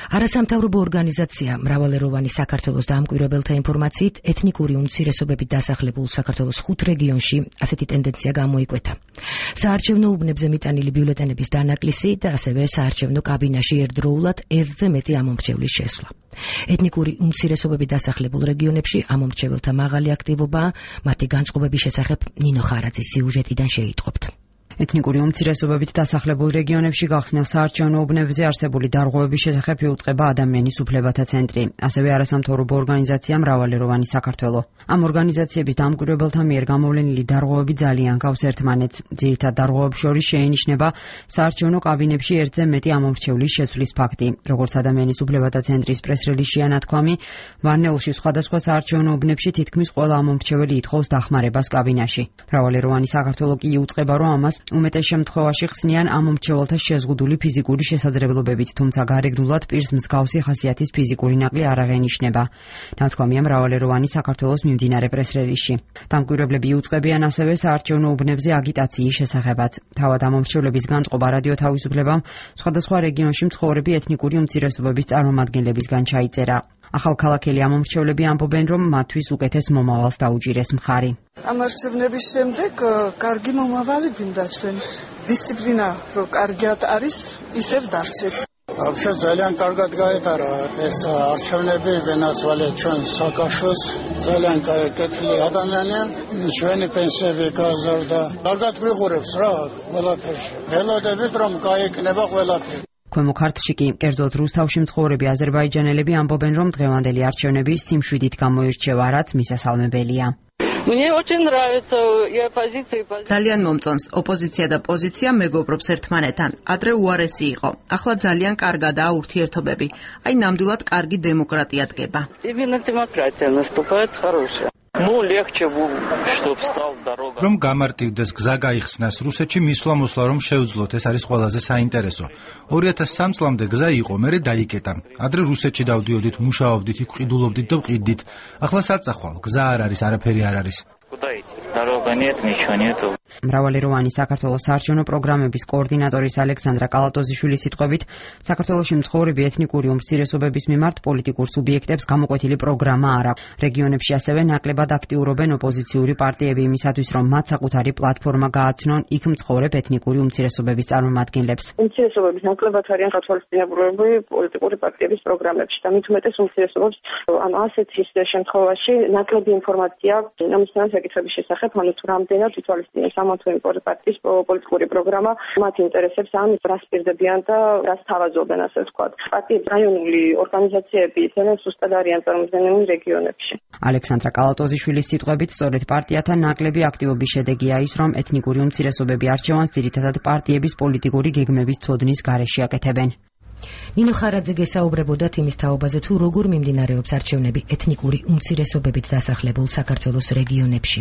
არასამთავრობო ორგანიზაცია მრავალეროვანი საქართველოს დაამკვირვებელთა ინფორმაციით ეთნიკური უმცირესობებით დასახლებულ საქართველოს 5 რეგიონში ასეთი ტენდენცია გამოიკვეთა. საარჩევნო უბნებზე მიტანილი ბიულეტენების დანაკლისი და ასევე საარჩევნო კაბინაში ერთდროულად ერთზე მეტი ამომრჩევლის შესვლა. ეთნიკური უმცირესობებით დასახლებულ რეგიონებში ამომრჩეველთა მაღალი აქტივობაა, მათი განწყობების შესახებ ნინო ხარაძის სიუჟეტიდან შეიტყობთ. ეთნიკური უმცირესობებით დასახლებულ რეგიონებში გახსნილ საარჩევნო უბნებზე არსებული დარღვევების შესახებ იუწყება ადამიანის უფლებათა ცენტრი, ასევე არასამთავრობო ორგანიზაცია მრავალეროვანი საქართველო. ამ ორგანიზაციების დამკვირვებელთა მიერ გამოვლენილი დარღვევები ძალიან გავს ერთმანეთს. ძირითად დარღვევებს შორის შეინიშნება საარჩევნო კაბინებში ერთზე მეტი ამომრჩევლის შესვლის ფაქტი. როგორც ადამიანის უფლებათა ცენტრის პრეს-რელიზშია ნათქვამი, ვარნეულში სხვადასხვა საარჩევნო უბნებში თითქმის ყველა ამომრჩეველი ითხოვს დახმარებას კაბინაში. მრავალეროვანი საქართველო კი იუწყება, რომ ამას უმეტეს შემთხვევაში ხსნიან ამომრჩეველთა შეზღუდული ფიზიკური შესაძლებლობებით, თუმცა გარეგნულად პირს მსგავსი ხასიათის ფიზიკური ნაკლი არ აღენიშნება. ნათქვამია მრავალეროვანი საქართველოს მიმდინარე პრეს-რელიზში. დამკვირვებლები იუწყებიან ასევე საარჩევნო უბნებზე აგიტაციის შესახებაც. თავად ამომრჩევლების განწყობა რადიო თავისუფლებამ სხვადასხვა რეგიონში მცხოვრები ეთნიკური უმცირესობების წარმომადგენლებისგან ჩაიწერა. ახალქალაქელი ამომრჩევლები ამბობენ, რომ მათთვის უკეთეს მომავალს დაუჭირეს მხარი. ამ არჩევნების შემდეგ კარგი მომავალი გინდა ჩვენ. დისციპლინა რომ კარგად არის, ისევ დარჩეს. Вообще ძალიან კარგად გაეტარა ეს არჩევნები, ვენაცვალე ჩვენ საქართველოს ძალიან კეთილი ადამიანია, ჩვენი პენსიები გაზარდა. კარგად მიყურებს რა ყველაფერში. ველოდებით რომ გაიქნება ყველაფერი. ქვემო ქართლში კი, კერძოდ რუსთავში მცხოვრები აზერბაიჯანელები ამბობენ, რომ დღევანდელი არჩევნები სიმშვიდით გამოირჩევა, რაც მისასალმებელია. ძალიან მომწონს ოპოზიცია და პოზიცია მეგობრობს ერთმანეთთან. ადრე უარესი იყო. ახლა ძალიან კარგადაა ურთიერთობები. აი ნამდვილად კარგი დემოკრატია დგება. რომ გამარტივდეს გზა გაიხსნას რუსეთში მისვლა-მოსვლა რომ შევძლოთ, ეს არის ყველაზე საინტერესო. 2003 წლამდე გზა იყო, მერე დაიკეტა. ადრე რუსეთში დავდიოდით, მუშაობდით, იქ ყიდულობდით და ვყიდდით. ახლა საწახვალ, გზა არ არის, არაფერი არ არის. მრავალეროვანი საქართველოს საარჩევნო პროგრამების კოორდინატორის ალექსანდრა კალატოზიშვილის სიტყვებით, საქართველოში მცხოვრები ეთნიკური უმცირესობების მიმართ პოლიტიკურ სუბიექტებს გამოკვეთილი პროგრამა არ აქვს. რეგიონებში ასევე ნაკლებად აქტიურობენ ოპოზიციური პარტიები იმისათვის, რომ მათ საკუთარი პლატფორმა გააცნონ იქ მცხოვრებ ეთნიკური უმცირესობების წარმომადგენლებს. უმცირესობების ნაკლებად არიან გათვალისწინებულები პოლიტიკური პარტიების პროგრამებში და მით უმეტეს უმცირესობებს ასეთ შემთხვევაში ნაკლები ინფორმაცია ამისთან საკითხების შესახებ, ანუ თუ რამდენად ითვალისწინებს ამათო პარტიის პოლიტიკური პროგრამა მათ ინტერესებს, ან რას პირდებიან და რას თავაზობენ, ასე ვთქვათ. პარტიების რაიონული ორგანიზაციები ძალიან სუსტად არიან წარმოდგენილი რეგიონებში. ალექსანდრა კალატოზიშვილის სიტყვებით, სწორედ პარტიათა ნაკლები აქტივობის შედეგია ის, რომ ეთნიკური უმცირესობები არჩევანს ძირითადად პარტიების პოლიტიკური გეგმების ცოდნის გარეშე აკეთებენ. ნინო ხარაძე გესაუბრებოდა იმის თაობაზე, თუ როგორ მიმდინარეობს არჩევნები ეთნიკური უმცირესობებით დასახლებულ საქართველოს რეგიონებში.